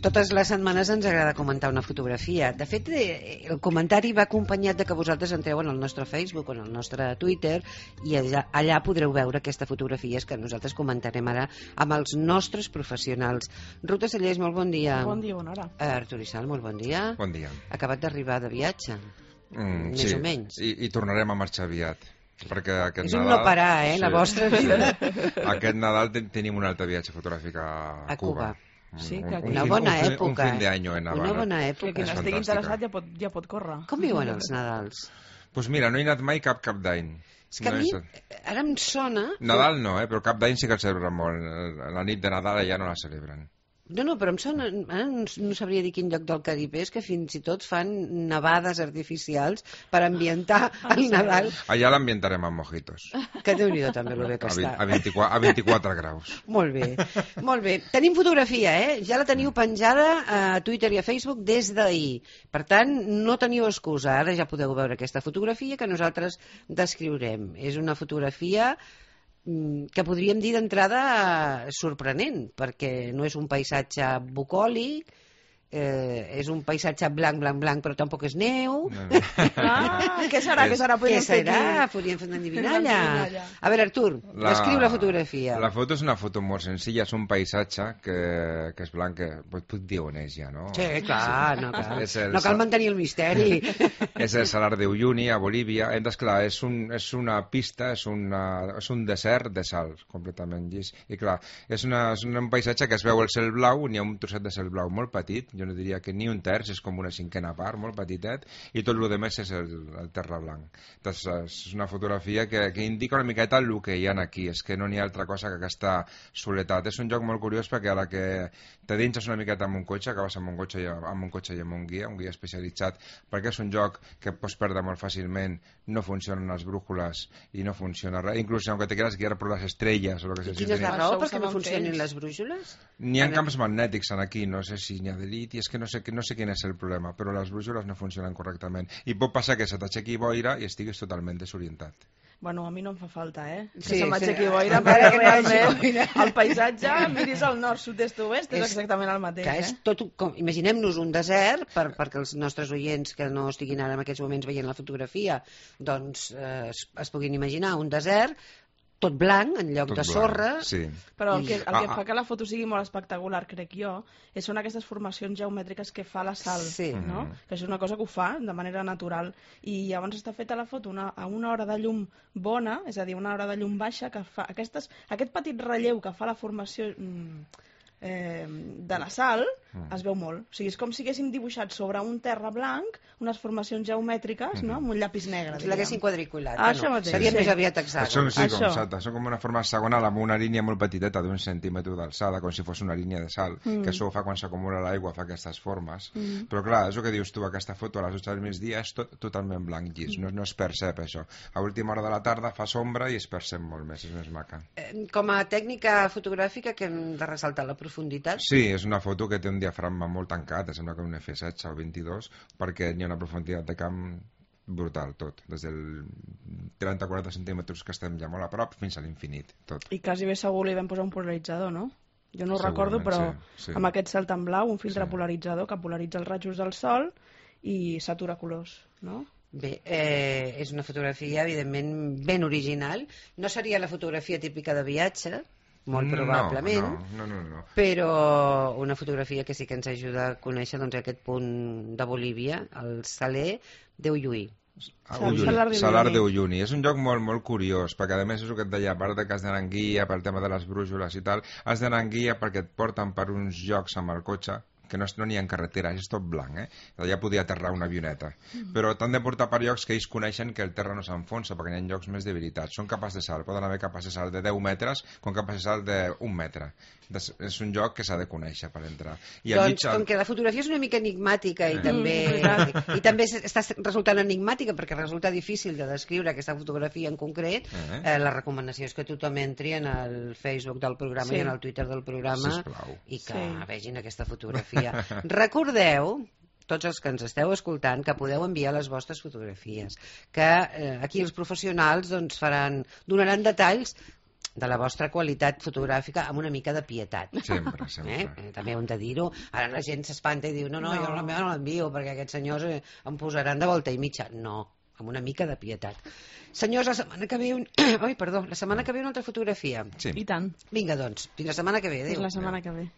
Totes les setmanes ens agrada comentar una fotografia. De fet, el comentari va acompanyat de que vosaltres entreu en el nostre Facebook o en el nostre Twitter i allà podreu veure aquesta fotografia que nosaltres comentarem ara amb els nostres professionals. Ruta Sallés, molt bon dia. Bon dia, bona hora. Artur Isal, molt bon dia. Bon dia. Acabat d'arribar de viatge, més sí. o menys. I tornarem a marxar aviat. Perquè aquest És un Nadal, no parar, la vostra vida. Aquest Nadal tenim un altre viatge fotogràfic a Cuba. Sí, una bona època. Un fin de año en Havana. Una bona època. Que qui n'estigui interessat ja pot córrer. Com viuen els Nadals? Doncs mira, no he anat mai cap d'any. És que a mi, ara em sona... Nadal no, però cap d'any sí que el celebren molt. La nit de Nadal allà no la celebren. No, però em sona... Ara no sabria dir quin lloc del Carib és, que fins i tot fan nevades artificials per ambientar el Nadal. Allà l'ambientarem amb mojitos. Que Déu-n'hi-do també el bé que està. A 24 graus. Molt bé, molt bé. Tenim fotografia, Ja la teniu penjada a Twitter i a Facebook des d'ahir. Per tant, no teniu excusa. Ara ja podeu veure aquesta fotografia que nosaltres descriurem. És una fotografia que podríem dir d'entrada sorprenent, perquè no és un paisatge bucòlic, és un paisatge blanc, però tampoc és neu. Què serà? Podríem fer una endivinalla. A veure, Artur, descriu la fotografia. La foto és una foto molt senzilla, és un paisatge que és blanc, que puc dir on és ja, no? Sí, clar, no cal mantenir el misteri. És el Salar de Uyuni, a Bolívia. Clar, és una pista, és un desert de sal, completament llis. I clar, és un paisatge que es veu el cel blau, n'hi ha un trosset de cel blau molt petit, jo no diria que ni un terç, és com una cinquena part, molt petitet, i tot el més és el terra blanc. Doncs és una fotografia que indica una miqueta el que hi ha aquí, és que no n'hi ha altra cosa que aquesta soledat. És un joc molt curiós perquè a la que te dinges una miqueta amb un cotxe, acabes amb un cotxe i amb un guia especialitzat, perquè és un joc que pots perdre molt fàcilment, no funcionen les brújules i no funciona res, inclús aunque te quieras guiar por las estrellas o lo que sea. I quina és la raó perquè no funcionin les brúixoles? N'hi ha camps magnètics aquí, no sé si n'hi ha d'elit, i és que no sé quin és el problema, però les brúixoles no funcionen correctament. I pot passar que se t'aixequi boira i estiguis totalment desorientat. Bueno, a mi no em fa falta, Sí, que se m'aixequi boira, perquè realment el paisatge, miris al nord, sud-est, oest, és exactament el mateix. És tot, imaginem-nos un desert, perquè els nostres oients que no estiguin ara en aquests moments veient la fotografia, doncs es puguin imaginar un desert tot blanc, en lloc de sorra. Sí. Però el que fa que la foto sigui molt espectacular, crec jo, són aquestes formacions geomètriques que fa la sal, no? Que és una cosa que ho fa de manera natural. I llavors està feta la foto a una hora de llum bona, és a dir, una hora de llum baixa, que fa aquest petit relleu que fa la formació de la sal, es veu molt. O sigui, és com si haguéssim dibuixat sobre un terra blanc unes formacions geomètriques, no? Amb un llapis negre. Si l'haguessin quadriculat. Això mateix. Seria més aviat hexàgon. Són com una forma hexagonal amb una línia molt petiteta d'1 centímetre d'alçada, com si fos una línia de sal, que això ho fa quan s'acumula l'aigua, fa aquestes formes. Però clar, és el que dius tu, aquesta foto a les 8 del migdia és totalment blanc llis, no es percep això. A última hora de la tarda fa sombra i es percep molt més, és més maca. Com a tècnica fotogràfica que hem de ressaltar la profunditat? Sí, és una foto que té un diafragma molt tancat, sembla que un F16 o 22, perquè hi ha una profunditat de camp brutal, tot, des del 30-40 centímetres que estem ja molt a prop fins a l'infinit, tot. I quasi bé segur li vam posar un polaritzador, no? Jo no ho recordo, però sí. Amb aquest cel tan blau, un filtre polaritzador que polaritza els rajos del sol i s'atura colors, no? Bé, és una fotografia evidentment ben original, no seria la fotografia típica de viatge, molt probablement, no. Però una fotografia que sí que ens ajuda a conèixer aquest punt de Bolívia, el Saler de Uyuni. Salar de Uyuni. És un lloc molt, molt curiós, perquè a més és el que et deia, a part que has d'anar en guia pel tema de les brúixoles i tal, has d'anar en guia perquè et porten per uns llocs amb el cotxe que no n'hi ha carretera, és tot blanc, allà podia aterrar una avioneta, però t'han de portar per llocs que ells coneixen que el terra no s'enfonsa, perquè hi ha llocs més debilitats, són capaç de salt, poden haver capaç de salt de 10 metres com capaç de salt d'1 metre. És un lloc que s'ha de conèixer per entrar. Doncs com que la fotografia és una mica enigmàtica i també està resultant enigmàtica perquè resulta difícil de descriure aquesta fotografia en concret, la recomanació és que tothom entri en el Facebook del programa i en el Twitter del programa i que vegin aquesta fotografia. Recordeu, tots els que ens esteu escoltant, que podeu enviar les vostres fotografies, que aquí els professionals donaran detalls de la vostra qualitat fotogràfica amb una mica de pietat. Sempre, sempre. També hem de dir-ho. Ara la gent s'espanta i diu no, jo la meva no l'envio perquè aquests senyors em posaran de volta i mitja. No, amb una mica de pietat. Senyors, la setmana que ve... la setmana que ve una altra fotografia. Sí. I tant. Vinga, doncs, fins la setmana que ve. Adéu. Fins la setmana que ve.